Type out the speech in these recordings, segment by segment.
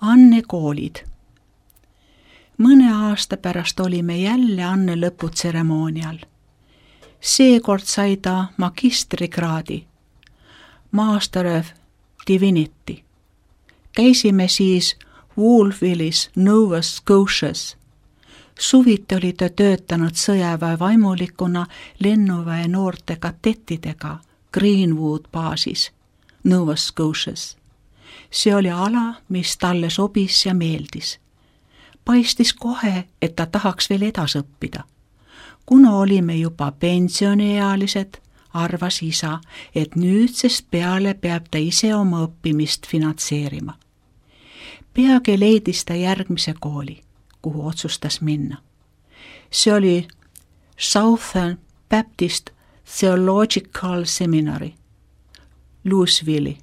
Anne koolid. Mõne aasta pärast olime jälle Anne lõputseremoonial. Seekord sai ta magistrikraadi, Master of Divinity. Käisime siis Wolfvillis, Nova Scotias. Suviti oli ta töötanud sõjaväe vaimulikuna lennuväe noorte kadettidega Greenwood baasis, Nova Scotias. See oli ala, mis talle sobis ja meeldis. Paistis kohe, et ta tahaks veel edas õppida. Kuna olime juba pensioniealised, arvas isa, et nüüdsest peale peab ta ise oma õppimist finantseerima. Peagi leidis ta järgmise kooli, kuhu otsustas minna. See oli Southern Baptist Theological Seminary, Louisville'i,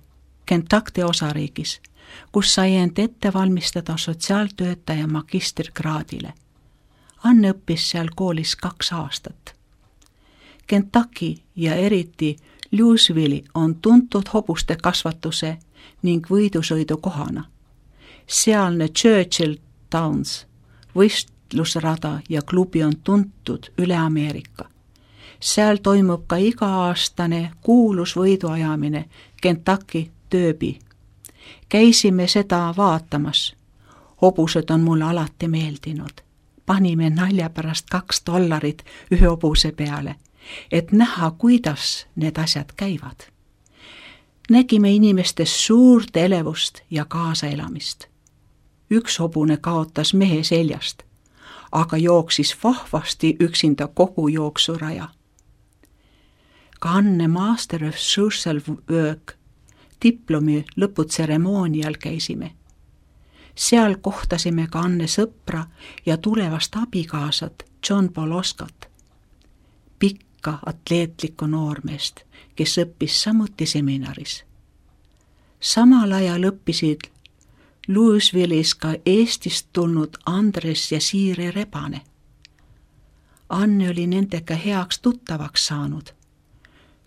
Kentucky osariigis, kus sai end ette valmistada sotsiaaltöötaja magistrikraadile. Anne õppis seal koolis 2 aastat. Kentucky ja eriti Louisville on tuntud hobuste kasvatuse ning võidusõidu kohana. Sealne Churchill Downs võistlusrada ja klubi on tuntud üle Ameerika. Seal toimub ka iga-aastane kuulus võiduajamine Kentucky Derby. Käisime seda vaatamas. Hobused on mulle alati meeldinud. Panime nalja pärast $2 ühe hobuse peale, et näha, kuidas need asjad käivad. Nägime inimestes suurt elevust ja kaasaelamist. Üks hobune kaotas mehe seljast, aga jooksis vahvasti üksinda kogu jooksuraja. Ka Anne Master of Social Work diplomi lõputseremoonial käisime. Seal kohtasime ka Anne sõpra ja tulevast abikaasat John Paul Oscat, pikka atleetlikku noormeest, kes õppis samuti seminaris. Samal ajal õppisid Louisville'is ka Eestist tulnud Andres ja Siiri Rebane. Anne oli nendega heaks tuttavaks saanud.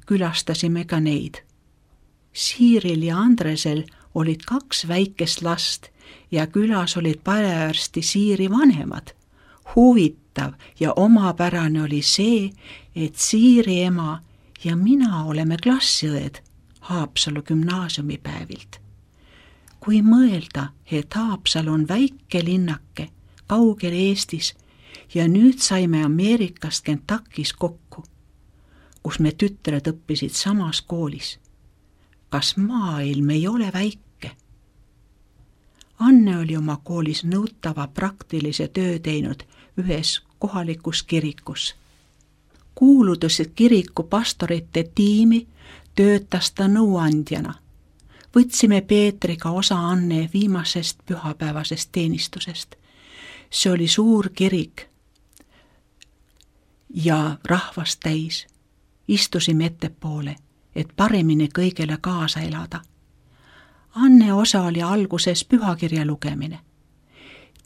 Külastasime ka neid. Siiril ja Andresel olid 2 väikest last ja külas olid parearsti Siiri vanemad. Huvitav ja omapärane oli see, et Siiri ema ja mina oleme klassiõed Haapsalu gümnaasiumipäevilt. Kui mõelda, et Haapsalu on väike linnake kaugel Eestis ja nüüd saime Ameerikast Kentuckys kokku, kus me tütred õppisid samas koolis. Kas maailm ei ole väike? Anne oli oma koolis nõutava praktilise töö teinud ühes kohalikus kirikus. Kuuludes kiriku pastorite tiimi töötas ta nõuandjana. Võtsime Peetriga osa Anne viimasest pühapäevasest teenistusest. See oli suur kirik ja rahvast täis. Istusime ettepoole, et paremini kõigele kaasa elada. Anne osa oli alguses pühakirja lugemine.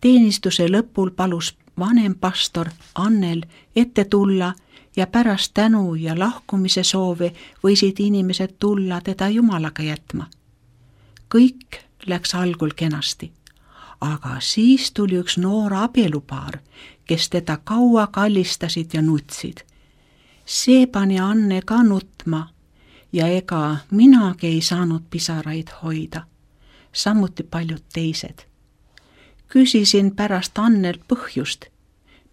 Teenistuse lõpul palus vanem pastor Annel ette tulla ja pärast tänu ja lahkumise soove võisid inimesed tulla teda Jumalaga jätma. Kõik läks algul kenasti, aga siis tuli üks noor abielupaar, kes teda kaua kallistasid ja nutsid. See pani Anne ka nutma ja ega minagi ei saanud pisaraid hoida, samuti paljud teised. Küsisin pärast Annelt põhjust,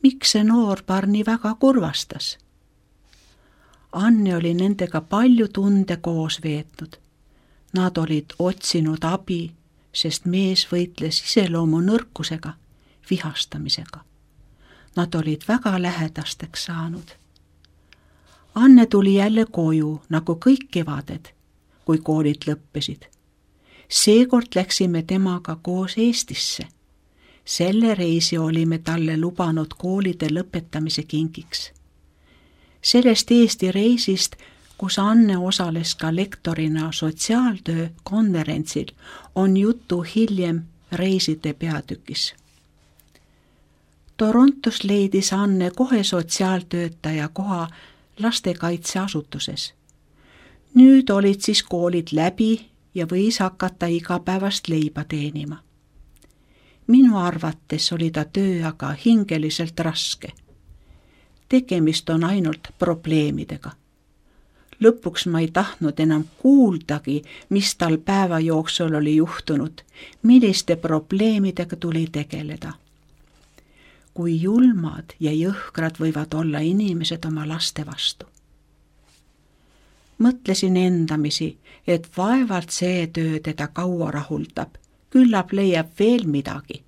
miks see noorpaar nii väga kurvastas. Anne oli nendega palju tunde koos veetnud. Nad olid otsinud abi, sest mees võitles iseloomu nõrkusega, vihastamisega. Nad olid väga lähedasteks saanud. Anne tuli jälle koju, nagu kõik kevaded, kui koolid lõppesid. Seekord läksime temaga koos Eestisse. Selle reisi olime talle lubanud koolide lõpetamise kingiks. Sellest Eesti reisist, kus Anne osales ka lektorina sotsiaaltöö konverentsil, on jutu hiljem reiside peatükis. Torontos leidis Anne kohe sotsiaaltöötaja koha lastekaitseasutuses. Nüüd olid siis koolid läbi ja võis hakata igapäevast leiba teenima. Minu arvates oli ta töö aga hingeliselt raske. Tegemist on ainult probleemidega. Lõpuks ma ei tahtnud enam kuuldagi, mis tal päeva jooksul oli juhtunud, milliste probleemidega tuli tegeleda. Kui julmad ja jõhkrad võivad olla inimesed oma laste vastu. Mõtlesin endamisi, et vaevalt see töö teda kaua rahuldab, küllap leiab veel midagi,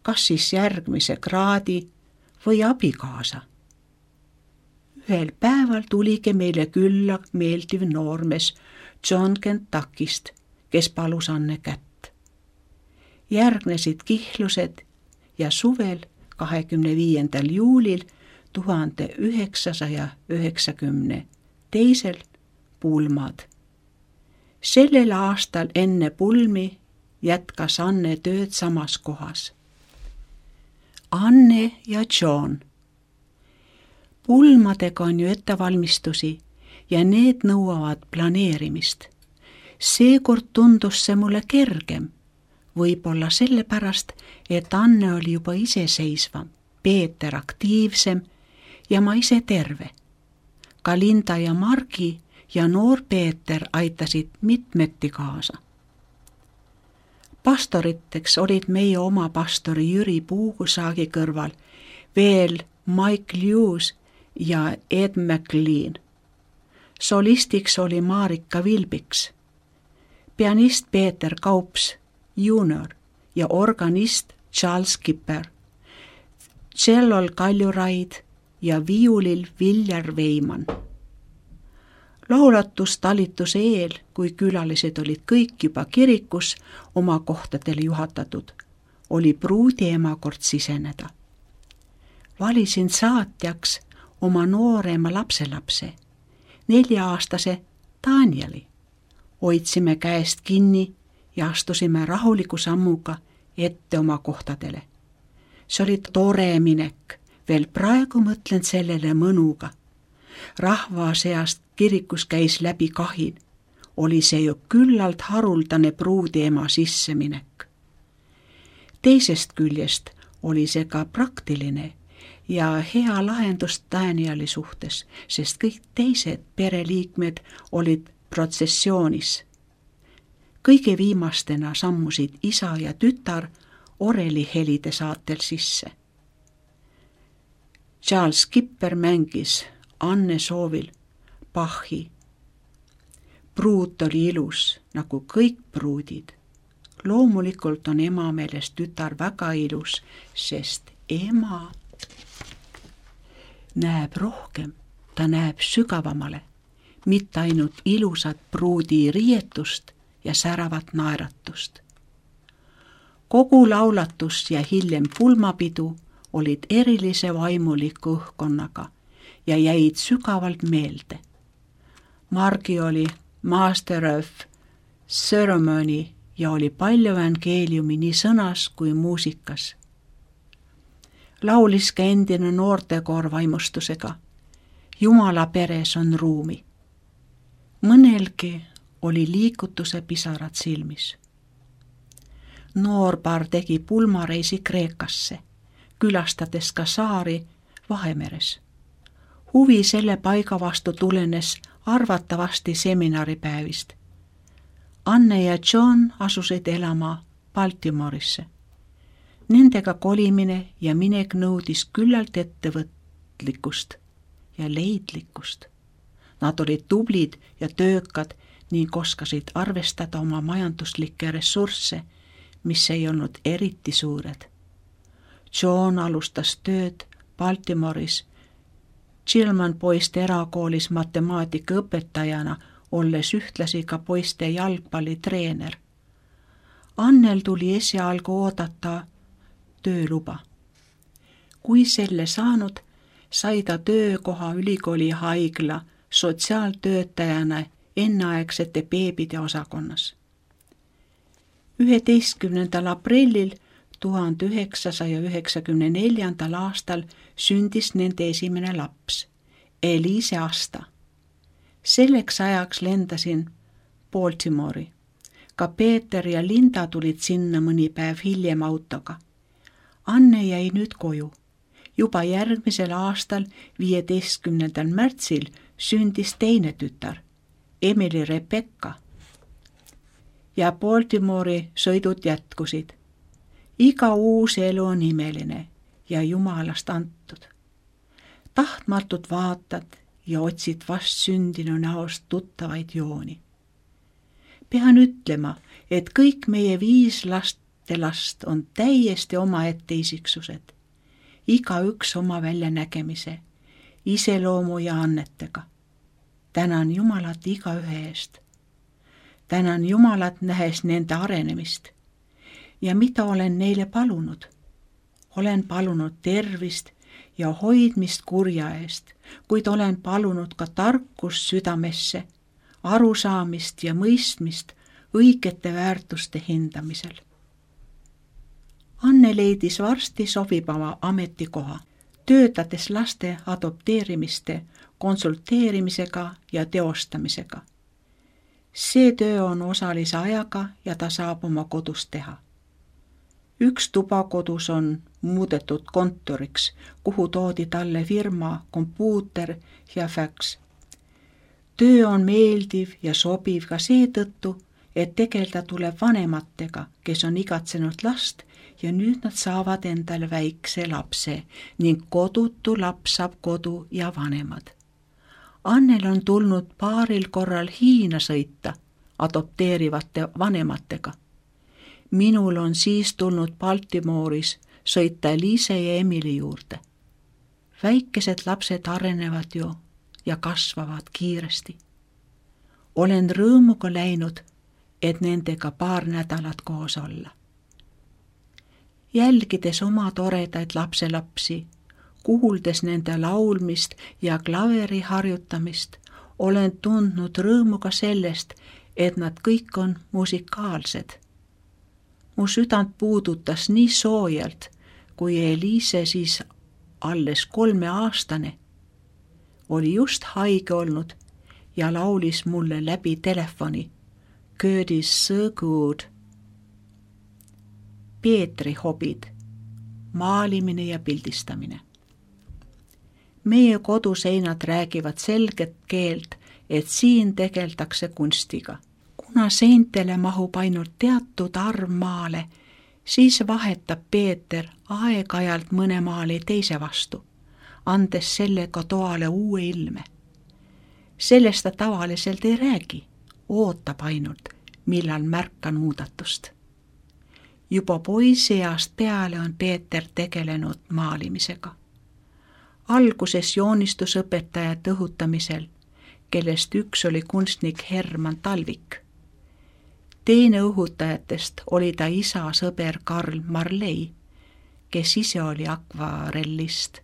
kas siis järgmise kraadi või abikaasa. Ühel päeval tuligi meile külla meeldiv noormees John Kentuckist, kes palus Anne kätt. Järgnesid kihlused ja suvel 25. juulil 1992 pulmad. Sellel aastal enne pulmi jätkas Anne tööd samas kohas. Anne ja John. Pulmadega on ju ettevalmistusi ja need nõuavad planeerimist. Seekord tundus see mulle kergem, võib-olla sellepärast, et Anne oli juba iseseisvam, Peeter aktiivsem ja ma ise terve. Ka Linda ja Margi ja noor Peeter aitasid mitmeti kaasa. Pastoriteks olid meie oma pastori Jüri Puugusaagi kõrval veel Mike Lewis ja Ed McLean. Solistiks oli Marika Vilbiks, pianist Peeter Kaups Junior ja organist Charles Kipper, tšellol Kalju Raid ja viiulil Viljar Veiman. Laulatustalituse eel, kui külalised olid kõik juba kirikus oma kohtadele juhatatud, oli pruudi emakord siseneda. Valisin saatjaks oma noorema lapselapse, 4-aastase Danieli. Hoidsime käest kinni ja astusime rahuliku sammuga ette oma kohtadele. See oli tore minek, veel praegu mõtlen sellele mõnuga. Rahva seast kirikus käis läbi kahin, oli see ju küllalt haruldane pruudi ema sisseminek. Teisest küljest oli see ka praktiline ja hea lahendus Danieli suhtes, sest kõik teised pereliikmed olid protsessioonis. Kõige viimastena sammusid isa ja tütar orelihelide saatel sisse. Charles Kipper mängis Anne soovil Bachi. Pruut oli ilus, nagu kõik pruudid. Loomulikult on ema meelest tütar väga ilus, sest ema näeb rohkem, ta näeb sügavamale, mitte ainult ilusat pruudi riietust ja säravat naeratust. Kogu laulatus ja hiljem pulmapidu olid erilise vaimuliku õhkkonnaga ja jäid sügavalt meelde. Margi oli Master of Ceremony ja oli palju evangeeliumi nii sõnas kui muusikas. Laulis ka endine noortekoor vaimustusega. Jumala peres on ruumi. Mõnelgi oli liigutuse pisarad silmis. Noorpaar tegi pulmareisi Kreekasse, külastades ka saari Vahemeres. Huvi selle paiga vastu tulenes arvatavasti seminaripäevist. Anne ja John asusid elama Baltimorisse. Nendega kolimine ja minek nõudis küllalt ettevõtlikkust ja leidlikkust. Nad olid tublid ja töökad ning oskasid arvestada oma majanduslikke ressursse, mis ei olnud eriti suured. John alustas tööd Baltimoris Chilman poiste erakoolis matemaatika õpetajana, olles ühtlasi ka poiste jalgpallitreener. Annel tuli esialgu oodata tööluba. Kui selle saanud, sai ta töökoha ülikooli haigla sotsiaaltöötajana enneaegsete beebide osakonnas. 11. aprillil 1994. aastal sündis nende esimene laps, Elise Asta. Selleks ajaks lendasin Baltimori. Ka Peeter ja Linda tulid sinna mõni päev hiljem autoga. Anne jäi nüüd koju. Juba järgmisel aastal 15. märtsil sündis teine tütar, Emily Rebecca. Ja Baltimore'i sõidud jätkusid. Iga uus elu on imeline ja Jumalast antud. Tahtmatult vaatad ja otsid vast sündinu näost tuttavaid jooni. Pean ütlema, et kõik meie 5 lastelast on täiesti omaette isiksused. Igaüks oma väljanägemise, iseloomu ja annetega. Tänan Jumalat igaühe eest. Tänan Jumalat nähes nende arenemist. Ja mida olen neile palunud? Olen palunud tervist ja hoidmist kurja eest, kuid olen palunud ka tarkust südamesse, arusaamist ja mõistmist õigete väärtuste hindamisel. Anne leidis varsti sobivama ametikoha, töötades laste adopteerimiste, konsulteerimisega ja teostamisega. See töö on osalise ajaga ja ta saab oma kodus teha. Üks tuba kodus on muudetud kontoriks, kuhu toodi talle firma, kompuuter ja faks. Töö on meeldiv ja sobiv ka seetõttu, et tegelda tuleb vanematega, kes on igatsenud last ja nüüd nad saavad endale väikse lapse ning kodutu laps saab kodu ja vanemad. Annel on tulnud paaril korral Hiina sõita adopteerivate vanematega. Minul on siis tulnud Baltimore'is sõita Liise ja Emily juurde. Väikesed lapsed arenevad ju ja kasvavad kiiresti. Olen rõõmuga läinud, et nendega paar nädalat koos olla. Jälgides oma toredaid lapselapsi, kuuldes nende laulmist ja klaveri harjutamist, olen tundnud rõõmu ka sellest, et nad kõik on musikaalsed. Mu südant puudutas nii soojalt, kui Eliise siis alles 3-aastane oli just haige olnud ja laulis mulle läbi telefoni God is so good. Peetri hobid, maalimine ja pildistamine. Meie koduseinad räägivad selget keelt, et siin tegeldakse kunstiga. Kuna seintele mahub ainult teatud arv maale, siis vahetab Peeter aeg-ajalt mõne maali teise vastu, andes sellega toale uue ilme. Sellest ta tavaliselt ei räägi, ootab ainult, millal märkan muudatust. Juba poiseast peale on Peeter tegelenud maalimisega. Alguses joonistusõpetajate õhutamisel, kellest üks oli kunstnik Herman Talvik. Teine õhutajatest oli ta isa sõber Karl Marley, kes ise oli akvarellist.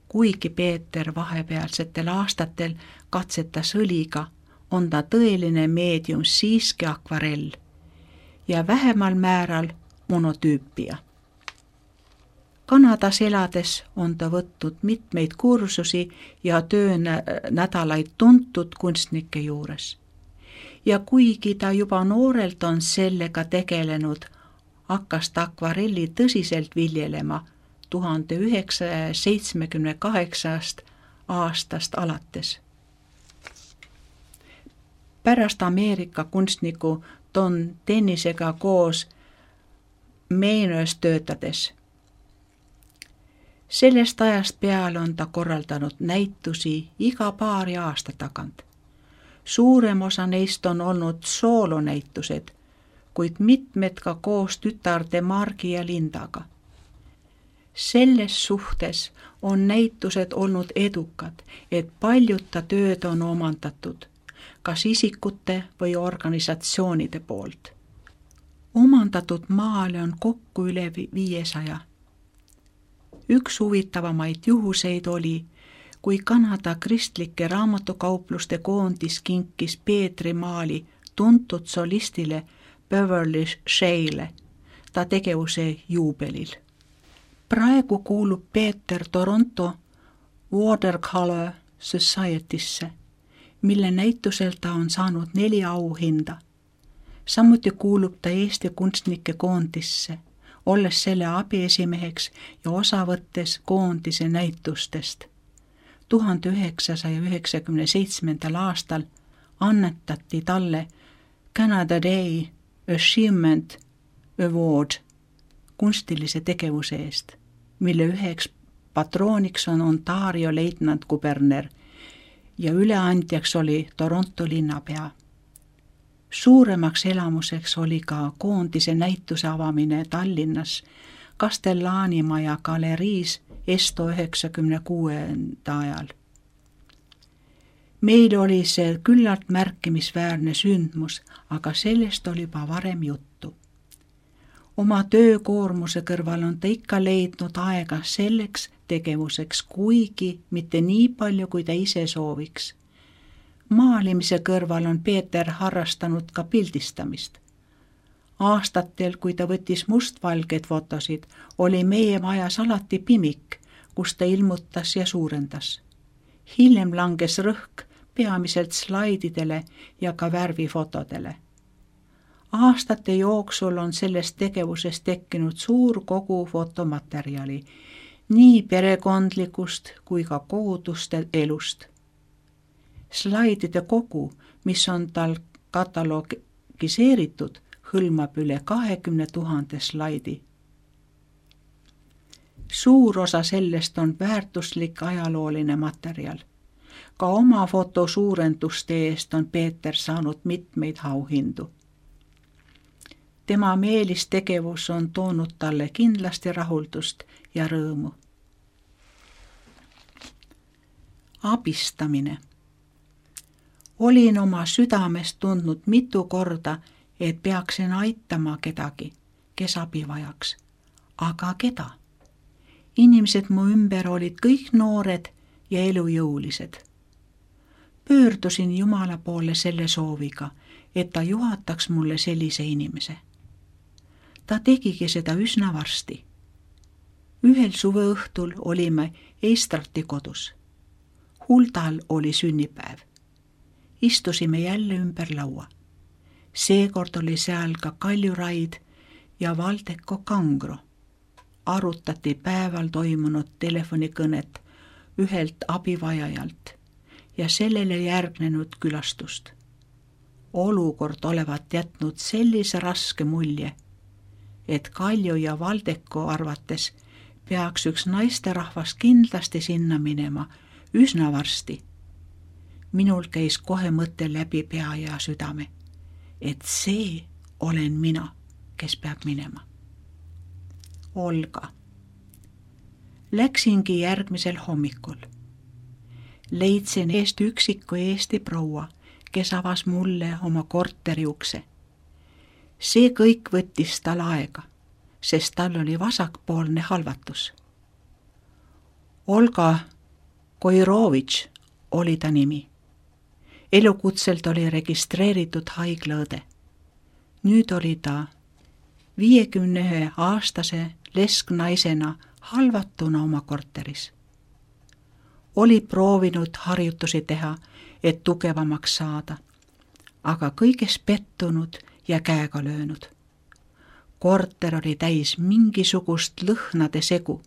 Kuigi Peeter vahepealsetel aastatel katsetas õliga, on ta tõeline meedium siiski akvarell ja vähemal määral monotüüpia. Kanadas elades on ta võtnud mitmeid kursusi ja töönädalaid tuntud kunstnike juures. Ja kuigi ta juba noorelt on sellega tegelenud, hakkas ta akvarelli tõsiselt viljelema 1978 aastast alates. Pärast Ameerika kunstniku Don Dennisega koos Maine'is töötades. Sellest ajast peale on ta korraldanud näitusi iga paari aasta tagant. Suurem osa neist on olnud soolonäitused, kuid mitmed ka koos tütarde Margi ja Lindaga. Selles suhtes on näitused olnud edukad, et paljud ta tööd on omandatud, kas isikute või organisatsioonide poolt. Omandatud maale on kokku üle 500. Üks huvitavamaid juhuseid oli, kui Kanada kristlike raamatukaupluste koondis kinkis Peetri maali tuntud solistile Beverly Shea'le ta tegevuse juubelil. Praegu kuulub Peeter Toronto Watercolor Society'sse, mille näitusel ta on saanud 4 auhinda. Samuti kuulub ta Eesti kunstnike koondisse, olles selle abiesimeheks ja osa võttes koondise näitustest. 1997. aastal annetati talle Canada Day Achievement Award kunstilise tegevuse eest, mille üheks patrooniks on Ontario leitnant-kuberner ja üleandjaks oli Toronto linnapea. Suuremaks elamuseks oli ka koondise näituse avamine Tallinnas Castellani maja galeriis Esto 96. ajal. Meil oli see küllalt märkimisväärne sündmus, aga sellest oli juba varem juttu. Oma töökoormuse kõrval on ta ikka leidnud aega selleks tegevuseks, kuigi mitte nii palju, kui ta ise sooviks. Maalimise kõrval on Peeter harrastanud ka pildistamist. Aastatel, kui ta võttis mustvalgeid fotosid, oli meie majas alati pimik, kus ta ilmutas ja suurendas. Hiljem langes rõhk peamiselt slaididele ja ka värvifotodele. Aastate jooksul on sellest tegevusest tekkinud suur kogu fotomaterjali, nii perekondlikust kui ka koguduste elust. Slaidide kogu, mis on tal katalogiseeritud, hõlmab üle 20 000 slaidi. Suur osa sellest on väärtuslik ajalooline materjal. Ka oma fotosuurenduste eest on Peeter saanud mitmeid auhindu. Tema meelistegevus on toonud talle kindlasti rahuldust ja rõõmu. Abistamine. Olin oma südames tundnud mitu korda, et peaksin aitama kedagi, kes abi vajaks. Aga keda? Inimesed mu ümber olid kõik noored ja elujõulised. Pöördusin Jumala poole selle sooviga, et ta juhataks mulle sellise inimese. Ta tegigi seda üsna varsti. Ühel suveõhtul olime Eistrati kodus. Huldal oli sünnipäev. Istusime jälle ümber laua. Seekord oli seal ka Kalju Raid ja Valdeko Kangro. Arutati päeval toimunud telefonikõnet ühelt abivajajalt ja sellele järgnenud külastust. Olukord olevat jätnud sellise raske mulje, et Kalju ja Valdeko arvates peaks üks naisterahvas kindlasti sinna minema üsna varsti. Minul käis kohe mõte läbi pea ja südame, et see olen mina, kes peab minema. Olga. Läksingi järgmisel hommikul. Leidsin eest üksiku Eesti proua, kes avas mulle oma korteri ukse. See kõik võttis tal aega, sest tal oli vasakpoolne halvatus. Olga Koirovitš oli ta nimi. Elukutselt oli registreeritud haiglaõde. Nüüd oli ta 51-aastase lesknaisena halvatuna oma korteris. Oli proovinud harjutusi teha, et tugevamaks saada, aga kõiges pettunud ja käega löönud. Korter oli täis mingisugust lõhnade segu.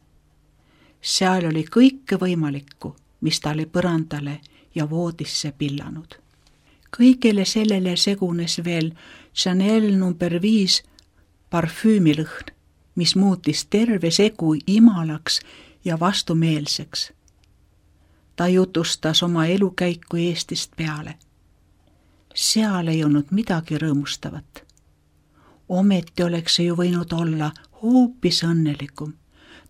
Seal oli kõike võimalikku, mis ta oli põrandale ja voodisse pillanud. Kõigele sellele segunes veel Chanel nr 5 parfüümilõhn, mis muutis terve segu imalaks ja vastumeelseks. Ta jutustas oma elukäiku Eestist peale. Seal ei olnud midagi rõõmustavat. Ometi oleks see ju võinud olla hoopis õnnelikum.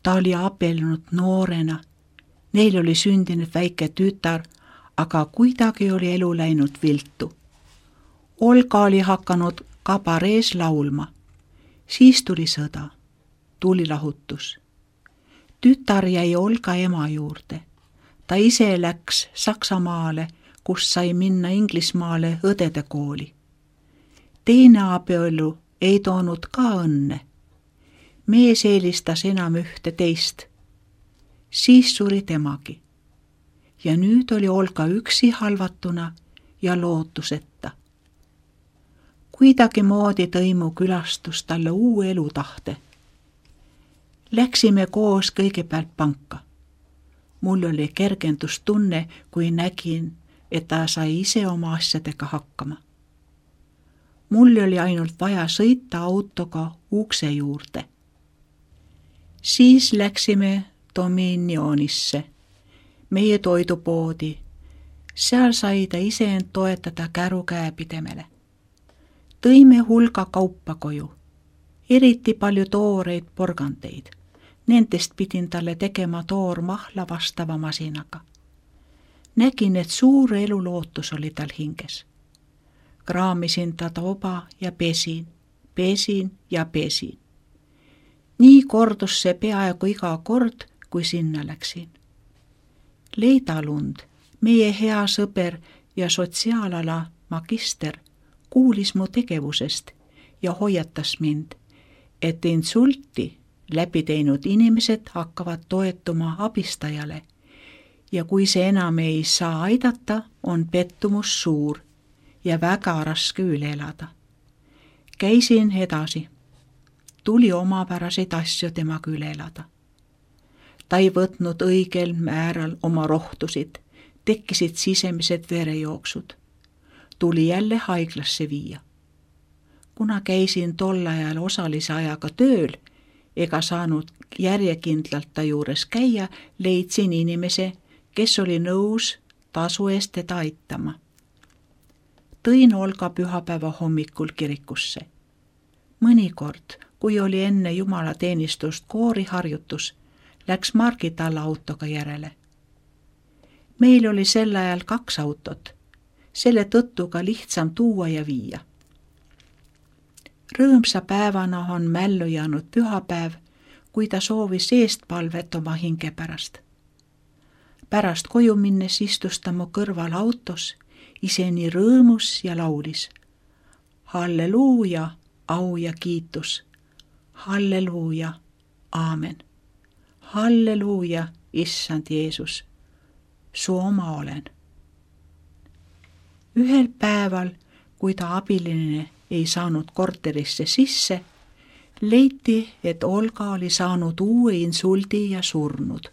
Ta oli abiellunud noorena. Neil oli sündinud väike tütar, aga kuidagi oli elu läinud viltu. Olga oli hakanud kabarees laulma. Siis tuli sõda. Tuli lahutus. Tütar jäi Olga ema juurde. Ta ise läks Saksamaale, kus sai minna Inglismaale õdede kooli. Teine abielu ei toonud ka õnne. Mees eelistas enam ühte teist. Siis suri temagi. Ja nüüd oli Olga üksi halvatuna ja lootuseta. Kuidagimoodi tõi mu külastus talle uue elutahte. Läksime koos kõigepealt panka. Mul oli kergendustunne, kui nägin, et ta sai ise oma asjadega hakkama. Mul oli ainult vaja sõita autoga ukse juurde. Siis läksime Dominionisse, meie toidupoodi. Seal sai ta iseend toetada kärukäepidemele. Tõime hulga kaupa koju, eriti palju tooreid porgandeid. Nendest pidin talle tegema toormahla vastava masinaga. Nägin, et suur elulootus oli tal hinges. Kraamisin ta toba ja pesin ja pesin. Nii kordus see peaaegu iga kord, kui sinna läksin. Leida Lund, meie hea sõber ja sotsiaalala magister, kuulis mu tegevusest ja hoiatas mind, et insulti läbi teinud inimesed hakkavad toetuma abistajale ja kui see enam ei saa aidata, on pettumus suur ja väga raske üle elada. Käisin edasi. Tuli omapäraseid asju temaga üle elada. Ta ei võtnud õigel määral oma rohtusid, tekkisid sisemised verejooksud. Tuli jälle haiglasse viia. Kuna käisin tol ajal osalise ajaga tööl, ega saanud järjekindlalt ta juures käia, leidsin inimese, kes oli nõus tasu eest teda aitama. Tõin Olga pühapäeva hommikul kirikusse. Mõnikord, kui oli enne jumalateenistust kooriharjutus, läks Margit alla autoga järele. Meil oli sel ajal 2 autot, selle tõttu ka lihtsam tuua ja viia. Rõõmsa päevana on mällu jäänud pühapäev, kui ta soovis eestpalvet oma hinge pärast. Pärast koju minnes istus ta mu kõrval autos, ise nii rõõmus ja laulis. Halleluuja, au ja kiitus. Halleluuja, aamen. Halleluuja, issand Jeesus. Su oma olen. Ühel päeval, kui ta abiline ei saanud korterisse sisse, leiti, et Olga oli saanud uue insuldi ja surnud.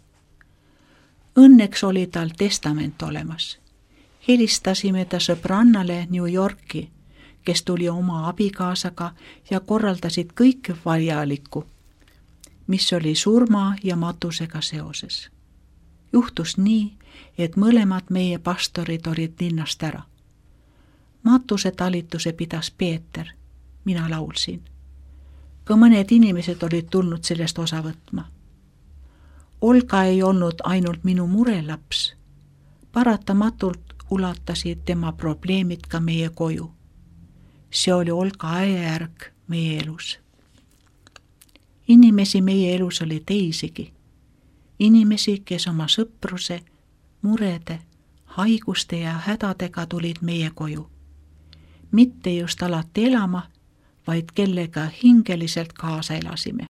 Õnneks oli tal testament olemas. Helistasime ta sõbrannale New Yorki, kes tuli oma abikaasaga ja korraldasid kõik vajalikku, mis oli surma ja matusega seoses. Juhtus nii, et mõlemad meie pastorid olid linnast ära. Matuse talituse pidas Peeter, mina laulsin. Ka mõned inimesed olid tulnud sellest osa võtma. Olga ei olnud ainult minu murelaps. Paratamatult ulatasid tema probleemid ka meie koju. See oli Olga ajajärg meie elus. Inimesi meie elus oli teisigi. Inimesi, kes oma sõpruse, murede, haiguste ja hädadega tulid meie koju. Mitte just alati elama, vaid kellega hingeliselt kaasa elasime.